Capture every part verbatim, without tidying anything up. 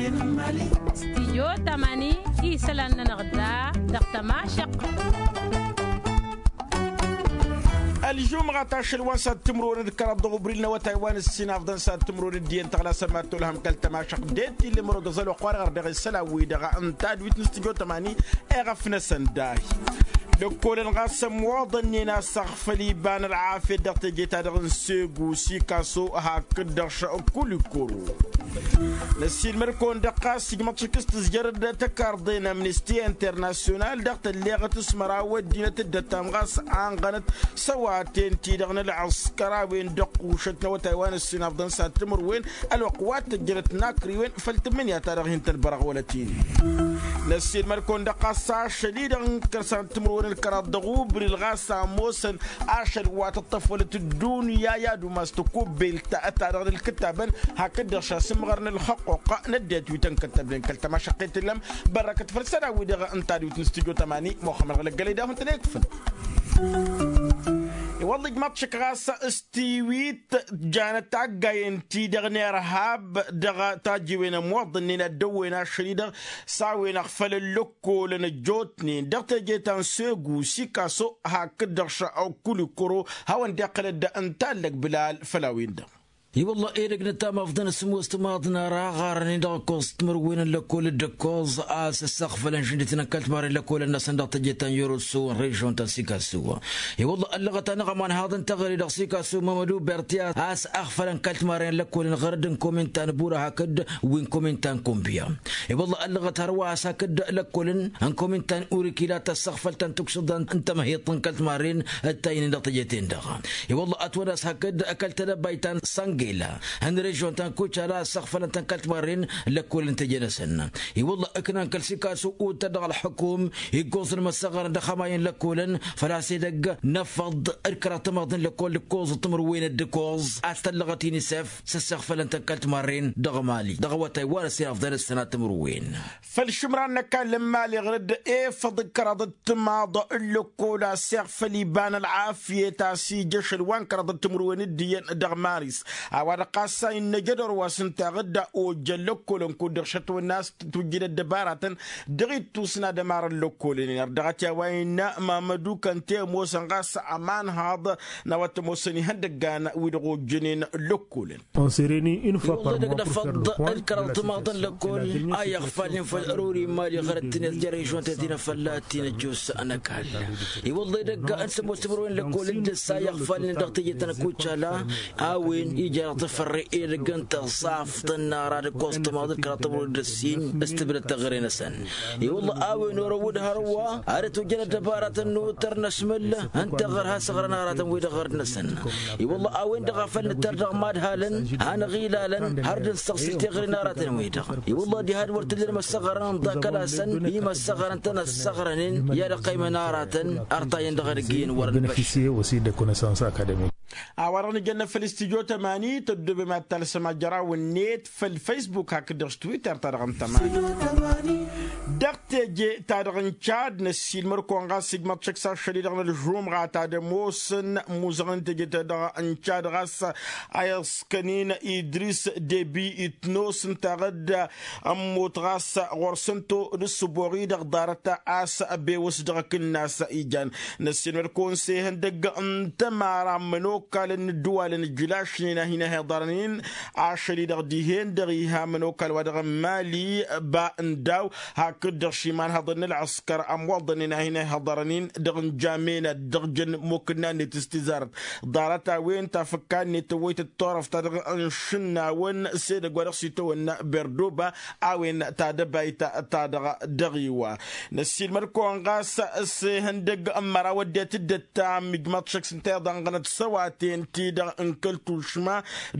Stijyo tamani isălan-nănăɣ da dăɣ-tămašăq. Ălžumɣa ta ašăl wa n-sad timǝrwen d-kăraḍ dăɣ-ubril n-awătay wa n-ǝssin afḍăn sad timǝrwen d-iyyăn tăɣlasăn mad-tolhăm kăl-tămašăq d-e-t-ille mărod ăẓăl wa ăqqoarăɣ ărdăɣ isălan-wi-dăɣ n-tadwit n-stijyo tamani. Eɣăf-năsăn dahi lăkkolăn ɣas ămmoḍănnen a-s aɣfăl iba n-ălɣafyăt dăɣ-teje-ta-dăɣ n-segu sikaso hakd-dăɣ šăkulikoro. Năssiilmăd-kăwăn-dăɣ ɣas ijmăḍ šik s-tǝzjărăd tăkarḍe n-amnisti internasyonal dăɣ-tălleɣăt s-măraw ăddinăt dd-ăttam ɣas anɣănăt săwaten-ti-dăɣ n-ălɣǝskăr a-wen dăɣ-kušăt n-awătay wa n-ǝssin afḍăn s-ad-timǝrwen. Ălwăqq wa t-ăjjănăt n-akriwen făll-tǝmmǝnǝya-ta-dăɣ hin-tăn-bărăɣ wălăt-in. Năssiilmăd-kăwăn-dăɣ ɣas ašăl-i-dăɣ n-kăr-san timǝrwen d-kăraḍ dăɣ-ubril ɣas a ămoosăn ašăl wa tǝṭṭăf wălăt ăddunya i-ad-umas tăkubbelt ta dăɣ-nǝlkǝttabăn hakd-dăɣ šasǝmɣăr n-ălxăqquq n-ăddinăt wi tăn-kăttăbnen kăl-tămašăqqet tǝllăm. Bărrăkăt făll-isălan-wi-dăɣ n-tadwit n-studyo tămani muxămmăd ɣǝlăggălăy d-ahun-tăn-ikfǝn. I-wălla ijmaḍ-t šik ɣas s-tiwit janăt taggayen-ti-dăɣ n-irhab dăɣ-tajǝwen ămmoḍănnen ad-dăwwen ašăl-i-dăɣ s-a-wen ăɣfălăn lăkkolăn ăjjootnen dăɣ-teje ta n-segu sikaso hakd-dăɣ šăkulikoro. Hawăn-dd-iqqălăd n-tallăg bǝlal făll-a-wen-dăɣ. I-wălla edăgg nǝttam afḍăn s-ămoos timaḍ n-ara ɣarănen dăɣ-ǝkkoẓ timǝrwen n-lăkkol d-ǝkkoẓ a-s ăssăɣfălăn šǝndităn n-kăl-timarren lăkkolăn-năsăn dăɣ-teje ta n-yoroso n-režion ta n-sikaso. I-wălla ăllăɣăt-anăɣ ămanhaḍ n-teɣăre dăɣ-sikaso mămădu berti a-s ăɣfălăn kăl-timarren lăkkolăn ɣărăd n-komin ta n-bura hakd wi n-komin ta n-kombiya. I-wălla ăllăɣăt hărwa a-s hakd lăkkolăn n-komin ta n-urikila tăssăɣfăl ta n-tuksǝḍa n-tămăhiḍt n-kăl-timarren ǝttaynen dăɣ-teje-ten-dăɣ. I-wălla ătwănna a-s hakd kăl-tedăbayt ta n-săngela n-režion ta n-kucala ăssăɣfălăn-tăn kăl-timarren lăkkolăn teje-năsăn. I-wălla ǝknan kăl-sikasu uttăr dăɣ-ălḥukum iggoẓ n-imăssăɣărăn dăɣ-hămay n-lăkkolăn făl-a-s edăgg n-afăḍ d-kăraḍ timaḍ n-lăkkol d-ǝkkoẓ timǝrwen d-ǝkkoẓ a-s tăllăɣăt inisef s-ăssăɣfălăn-tăn kăl-timarren dăɣ-mali dăɣ-awătay wa n-ăssin afḍăn ǝssănat timǝrwen. Făll-išǝmran n-ăkall n-imali ɣărăd efăḍ d-kăraḍ d-timaḍ n-lăkkol a-s iɣfăl iba n-ălɣafyăt a-s ija ašăl wa n-kăraḍ d-timǝrwen d-iyyăn dăɣ-maris. A-wa-dăɣ ɣas a innă jădor wa s-ǝnta ɣǝdda ojjăn lăkkolăn kud-dăɣ šătwănna a-s tujjǝd ăddăbaratăn dăɣ-ittus n-ad-ămarăn lăkkolăn-in ărdăɣăt i-a-wa innă mamădu kănte ămoosăn ɣas ămanhaḍ n-a-wa t-ămoosăn ihăndăggan wi-dăɣ ojjănen lăkkolăn. Iwăḍḍa dăgg-năfăḍ d-kăraḍ timaḍ n-lăkkol a iɣfalnen făll-ărori n-mali ɣărăt-tǝnet jere ižwăn-ten tinăfălla tinăjjos n-ăkall. Iwăḍḍa edăgg n-sămoos timǝrwen n-lăkkol d-ǝssa iɣfalnen dăɣ-teje ta n-ăkucala a-wen ija dăɣ-tafărre edăgg n-tăẓaft n-ara d-ǝkkoẓ timaḍ d-kăraḍ timǝrwen d-ǝssin s-tǝbdăd teɣăre-năsăn. I-wălla a-wen orăwăd hărwa ad-ătwăjjăn ăddăbaratăn n-otăr n-asmǝl ǝnta ɣăr hasăɣrăn aratăn-wi-dăɣ ɣărd-năsăn. I-wălla a-wen-dăɣ a făl nǝttăr dăɣ-imadhalăn hanăɣ-ilalăn har dd-ǝnsăɣsǝl teɣăre n-aratăn-wi-dăɣ. I-wălla diha d-wăr t-dd-ănmăssăɣărăn ǝnḍakăl-asăn imăssăɣărăn-tăn ăssăɣrănen i-ad-ăqqăymăn aratăn ărtayăn dăɣ-edăgg iyyăn wăr-ănbăš. A-wa-dăɣ nǝjănnăt făll-studyo tămani tăddobem ad-talsăm ajăraw-net făll-facebook hakd-dăɣ s-twitter-ta-dăɣ n-tămani. Dăɣ-teje-ta-dăɣ n-cad năssiilmăr-kăwăn ɣas ijmăḍ šăkk s-ašăl-i-dăɣ n-ălžumɣa ta d-ămoosăn imuzăɣăn n-teje-ta-dăɣ n-cad ɣas a iẓkăn-in idris debi itnos ǝnta ɣǝdda ămmut ɣas ɣur-săn to d-ǝssǝboɣ-i-dăɣ ḍarăt a-s ăbewăs dăɣ-akǝnnas ijan. Năssiilmăd-kăwăn s-ehăndăgg n-tămara n-imănokalăn n-ǝddǝwalăn ǝjjǝlašnen a hin-ăhiḍărăn-in ašăl-i-dăɣ dihen-dăɣ iha imănokal wa dăɣ-n mali ba n-daw hakd-dăɣ šimanhăḍăn n-ălɣǝskăr ămwăḍănen a hin-ăhiḍărăn-in dăɣ-n jamenat dăɣ-jăn mokǝnna-net s-tizarăt ḍarăt a-wen tafǝkka-net tăwwăytăt turăft ta dăɣ-n šǝnnawăn s-edăgg wa dăɣ-s itawănna berdoba. A-wen tadăbayt ta dăɣ-dăɣ-iwa năssiilmăd-kăwăn ɣas s-ihăndăgg n-măraw ăddinăt dd-ăttam ijmaḍ šăkk s-ǝnta iḍanɣănăt săwaten-ti-dăɣ n-kăl-tušma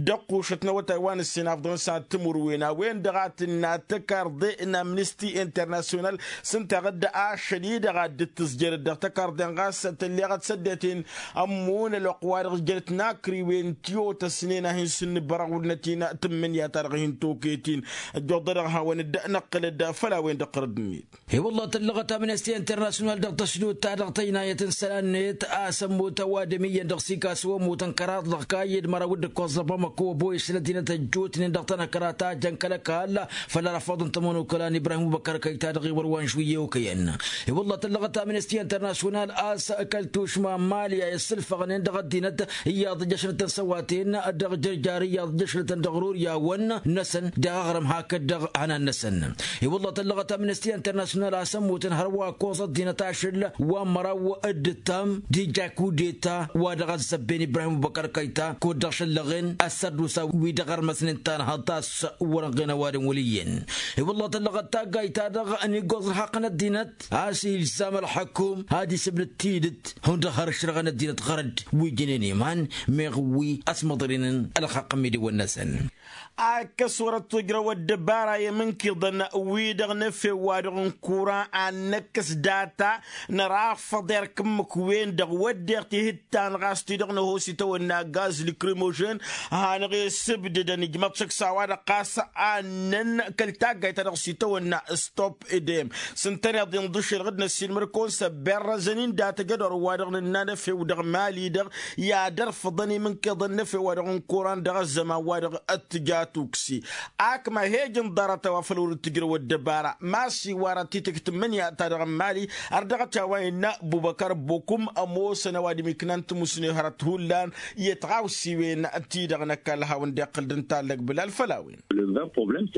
dăɣ-kušăt n-awătay wa n-ǝssin afḍăn s-ad-timǝrwen a-wen-dăɣ a tǝnna tăkarḍe n-amnisti internasyonal s-ǝnta ɣǝdda ašăl-i-dăɣ a dd-tǝzjărăt dăɣ-tăkarḍen ɣas tălleɣăt s-ăddinăt-en ămmun ălwăqq-wa-dăɣ jănăt n-akriwen tiwotăsnen a hin-sǝnnǝbărăɣ wăr năt-in tǝmmǝnǝya-ta-dăɣ hin-toket-in. Ăjjoḍădăɣ hawăn-dd-năqqǝlăd făll-a-wen-dăɣ ɣărăd-net. I-wălla tăllăɣăt amnesty internasyonal dăɣ-tăsdut-ta-dăɣ tăjnayăt n-isălan-net a-s ămmut ăwadǝm iyyăn dăɣ-sikasu ămmut. n-kăraḍ dăɣ-kayy d-măraw d-ǝkkoẓ dăɣ-bamăko ăboyăs n-ăddinăt ăjjootnen dăɣ-tăn-ăkra ta jăn kăl-ăkall. Făll-arăfaḍ n-tămănokăla n-ibrahim ăbubăkar kăyy-ta-dăɣ iwăr wa n-išwǝyye okăyăn. I-wălla tăllăɣăt amnesti internasyonal a-s kăl-tušma n-mali a isǝlfăɣnen dăɣ-ăddinăt iyyăḍ ǝjjăšlătăn s-ăwaten dăɣ-jărjar iyyăḍ ǝjjăšlătăn dăɣ-ruriyawăn-năsăn dăɣ-aɣrǝm hakd-dăɣ hănan-năsăn. I-wălla tăllăɣăt amnesti internasyonal a-s ămmutăn hărwa ăkkoẓ ăddinăt ašăl wa n-măraw d-ǝttam d-ija kudeta wa dăɣ-ăzzăbben ibrahim ăbubăkar kăyy-ta kud-dăɣ šăllăɣen ăssărdusa wi dăɣ-ărmăsnen tanhăḍt a-s wăr-ănɣen ăwadǝm wăl' iyyăn. I-wălla tăllăɣăt taggayt-ta-dăɣ n-iggoẓ ălxaqq n-ăddinăt a-s ilzam ălxăkum ad-isǝbnǝd tidǝt hundăɣ har ǝšrăɣăn ăddinăt ɣărăd wi jǝnen iman meɣ wi ăsmăḍrǝynen ălxaqq n-imidǝwăn-năsăn. Akkăs wăr-ătt ojrăw ăddăbara i-imǝnkiḍăn-wi-dăɣ n-efew-wa-dăɣ n-kura ad-năkkăs data nărafăḍ erk ǝmmǝk-wen-dăɣ wădden tihǝttan ɣas ti-dăɣ năhoos itawănna gaz lăkrimožen. Hanăɣ-e-sǝbdǝdăn ijmăḍ šăkk s-a-wa-dăɣ ɣas annăn kăl-taggayt-ta-dăɣ s-itawănna stop edem s-ǝntăneḍ inḍǝšel ɣǝd-năssin măr-kăwăn s-ăbberrăzăn-in dat-ăjădor-wa-dăɣ nǝnna n-efew dăɣ-mali-dăɣ i-ad-ărfăḍăn imǝnkiḍăn n-efew-wa-dăɣ n-kuran dăɣ-ăzzăman-wa-dăɣ t-tǝja tuksi. Akma he-ǝjǝn ḍarăt a-wa făl wăr-dd-tǝjrăw ăddăbara ma s-iwarăt titǝkt n-imǝnǝya-ta-dăɣ n-mali. Ărdăɣăt a-wa innă bubăkăr bokum ămoosăn ăwadǝm iknan timusne hărăt hullan i-tiɣawsiwen-ti-dăɣ n-ăkall a hawăn-dd-iqqǝl d-ǝnta ăllăg bǝlal făll-a-wen.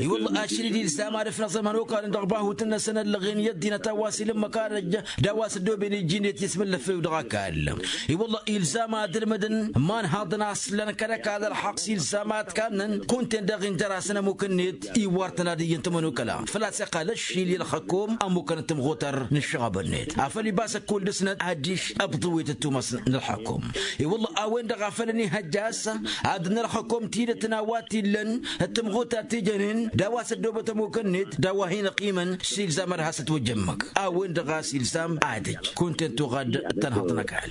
I-wălla ašăl-i d-ilzam ad-ǝfnăẓ ămănokal-in dăɣ-bahut-năsăn ăllăɣen i-ăddinăt a-wa s-ilǝmmăk ad-ăjj d-a-wa s-ăddooben iji-net i-asmǝllăffew dăɣ-ăkall. I-wălla ilzam ad-ǝlmǝdăn imanhaḍăn a-s lăn kăl-ăkall ălxaqq s-ilzam ad-kannăn kunta-en daɣ injăr-asăn ămmuk-net iwwar-tăn ad-iyyăn timănokăla făl-a-s iqqăl ăššil i-ălxăkom ămmukăn d-timɣutăr n-ǝššăɣăb-net afăl ibas ăkkull dăɣ-snăt adiš ăbḍǝwet ăttumas n-ălxăkom. I-wălla a-wen-dăɣ a făl ănihăjja a-s ad-ănnălxăkom tidăt n-a-wa t-illăn d-timɣutar ti jănen d-a-wa s-ăddoobăt ămmuk-net d-a-wa hin-ăqqimăn s-ilzam ad-has-ătwăjja ǝmmǝk a-wen-dăɣ a-s ilzam ad-ăj kunta-en tuɣa d-tanhăḍt n-ăkall.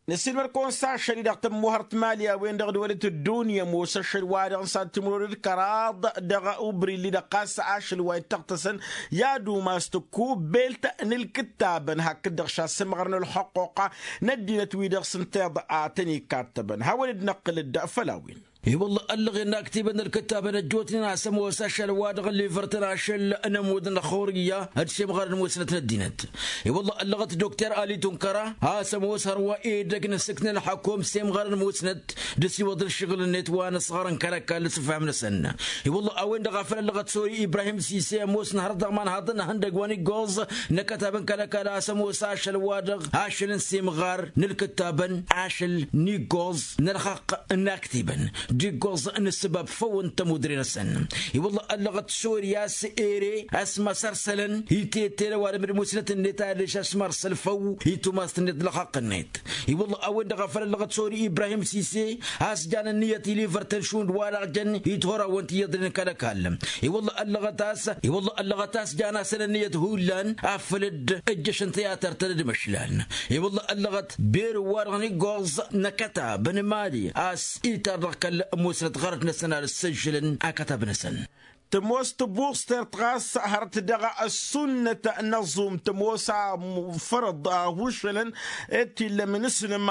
Năssiilmăr-kăwăn s-ašăl-i-dăɣ tămmuhărt mali a-wen-dăɣ dd-wălăt ăddunya ămoos ašăl-wa-dăɣ n-sad timǝrwen d-kăraḍ dăɣ-ubrilli-dăɣ ɣas ašăl wa ittăɣtăsăn i-ad-umas tăkkubbelt n-ǝlkǝttabăn hakd-dăɣ šasǝmɣăr n-ălxăqquqa n-ăddinăt-wi-dăɣ s-ǝnta iḍa a tăn-ikattăbăn hawăn-dd-năqqǝl-dd făll-a-wen. I-wălla ăllăɣen n-aktibăn n-ǝlkǝttabăn ăjjootnen a-s ămoos ašăl-wa-dăɣ ăllivărtăn ašăl n-ămudd n-ăxxurǝyya d-semɣar n-musnăt n-ăddinăt. I-wălla ăllăɣăt dokter ali tunkăra a-s ămoos hărwa edăgg n-asǝkt n-ălxăkom semɣar n-musnăt d-asiwăḍ n-ašăɣǝl-net wa n-ăṣɣar n-kăl-ăkall s-ǝfham-năsăn. I-wălla a-wen-dăɣ a făl ăllăɣăt sori ibrahim sise ămoosăn hărăt dăɣ-imanhaḍăn n-ihăndăgg wa n-iggoẓ n-akătab n-kăl-ăkall a-s ămoos ašăl-wa-dăɣ ašăl n-semɣar n-ǝlkǝttabăn ašăl n-iggoẓ n-ălxaqq n-aktibăn d-iggoẓ n-ǝssǝbab făw n-tămudre-năsăn. I-wălla ăllăɣăt sori a-s ere a-s măsărsălăn itete n-ăwadǝm d-musnăt-net adiš a-s mărsăl făw i-tumast-net d-ălxaqq-net. I-wălla a-wen-dăɣ a făl ăllăɣăt sori ibrahim sise a-s jan ǝnniyăt ilivăr-tăn šund wa-dăɣ jăn i-tihorăwăn ti iyyăḍnen kăl-ăkall. I-wălla ăllăɣăt a-s i-wălla ăllăɣăt a-s jan-asăn ǝnniyăt hullan afăl dd-ǝjjăšăn tiyatăr-tăn d-imăšlan. I-wălla ăllăɣăt berǝw-wa-dăɣ n-iggoẓ n-akătab n-imali a-s itar dăɣ-kăl-musnăt ɣărăt-năsăn ad-ǝssǝžžǝlăn akătab-năsăn. Tămoos tăbuẓtert ɣas hărăt dăɣ-ăssunnăt n-ăẓum tămoos a fărăḍ a hušălăn ed t-illa ămǝnǝslǝm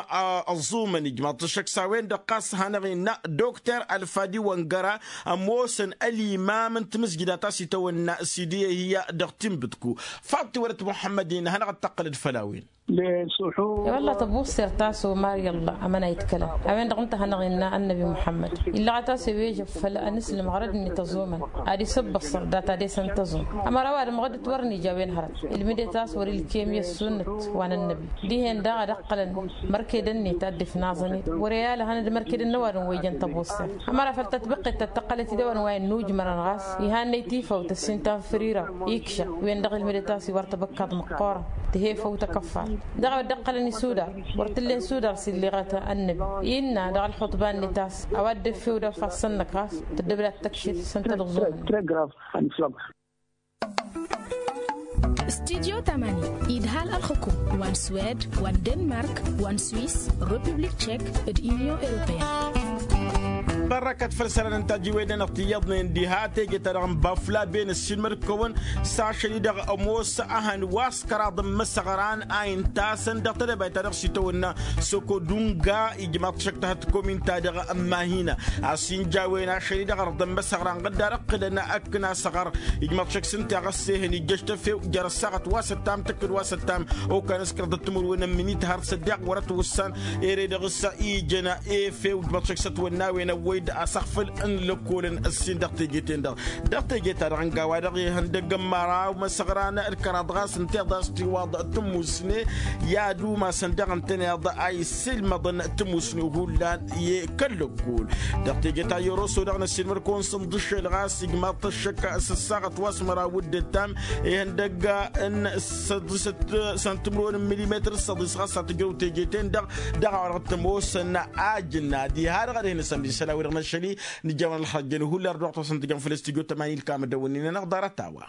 ăẓumăn ijmaḍ-t ăššăk s-a-wen-dăɣ ɣas hanăɣ-innă dokter ălfadi wăngăra ămoosăn ălimam n-timǝzjǝda ta s-itawănna sidiya hi-ya dăɣ-tinbǝtku. Faḍ tiwălăt muḥămmăd-in hanăɣ-dd-tăqqǝlăd făll-a-wen. I-wălla tăbuẓtert ta s-omar i-ălla amăna itkălăn a-wen-dăɣ ǝnta a hanăɣ-innă ănnăbi muḥămmăd illăɣăt a-s ewežăb făll-anǝslǝm ɣărăd-net ăẓumăn ad-isǝbbăṣṣăr data desen tăẓum. Ămăra ăwadǝm ɣǝddǝt wăr nija a-wen hărăt ilmǝdet a-s wăr-ilkem i-ăssunnăt wa n-ănnăbi dihen daɣ ad-ǝqqălăn mărkedăn-net ad-dd-ifnaẓăn-dd wăr-e-alăhăn d-mărkedăn n-ăwadǝm wa ijăn tăbuẓtert. Ămăra făll-tătbǝqqet tăttăqqălăt-dd a-wen wa innujmărăn ɣas ihannăy tifawt ăssintan fǝr iraw ikša. Wen-dăɣ ilmǝdet a-s iwar tăbăkkaḍ măqqoorăn tǝhe făw tăkăffart dăɣ-a-wa dd-ǝqqălăn isudar wăr t-ǝllen sudar s-illeɣăt ănnăbi innă dăɣ-ălxuṭba-net a-s a-wa dd-effew d-ălfassăn-năk ɣas tăddăbdat tăkšit s-ǝnta dăɣ-ẓuhăn. Studyo tamani idhal ălxǝkum wa n-swed wa n-denmark wa n-swiss republik tchek d-union europeyenne. Ărrăkăt făll-isălan n-tajiweden-dăɣ ti iyyăḍnen diha teje-ta-dăɣ n-baflaben ăssiilmăd-kăwăn. S-ašăl-i-dăɣ ămoos ăhăn wa s-kăraḍ n-imǝsăɣran a intasăn dăɣ-tedăbayt-ta-dăɣ s-itawănna sokodunga ijmaḍ-t šăkk tahăt komin-ta-dăɣ n-mahina. A-s injawen ašăl-i-dăɣ ărḍăn imǝsăɣran ɣǝddar ǝqqǝlăn ăkk n-asăɣăr. Ijmaḍ-t šăkk s-ǝnta i-ɣas ehăn ijjăš tăfew jer-ăssaɣăt wa s-ăttam tǝkkǝd wa s-ăttam. Okan s-kăraḍăt timǝrwen n-minit har s-ăddeɣ wăr-ătwǝssan. Ere-dăɣ s-ijăn efew ijmaḍ-t šăkk s-ătwănnawen ăwwăy-dd asăɣfǝl n-lăkkolăn ǝssin dăɣ-teje-ten-dăɣ. Dăɣ-teje-ta-dăɣ n-gawa-dăɣ ihăndăgg n-măraw imăsăɣran d-kăraḍ ɣas ǝnta i-ḍas tiwaḍ tǝmmusne. I-ad-umasăn daɣ ǝntăneḍ a isilmăḍăn tǝmmusne hullan i-kăl-lăkkol. Dăɣ-teje ta i-oroso dăɣ-năsilmăr-kăwăn s-ǝnḍǝššel ɣas ijmaḍ-t ăššăk s-ăssaɣăt wa s-măraw d-ǝttam. Ihăndăgg n-săḍisăt s-ăntǝmrăwăn n-milimetăr s-săḍis ɣas a tǝjrăw teje-ten-dăɣ. Dăɣ-a-wa-dăɣ t-ămoosăn ajǝnna diha-dăɣ ad-hin-ăsămd isălan-wi-dăɣ n-ašăl-i. Nǝjjămăn ălxăjjăn hullan d-wa ɣ-tawăsăn tǝjăm făll-studyo tămani ǝlkam ăddăwănnin-anăɣ ḍarăt a-wa.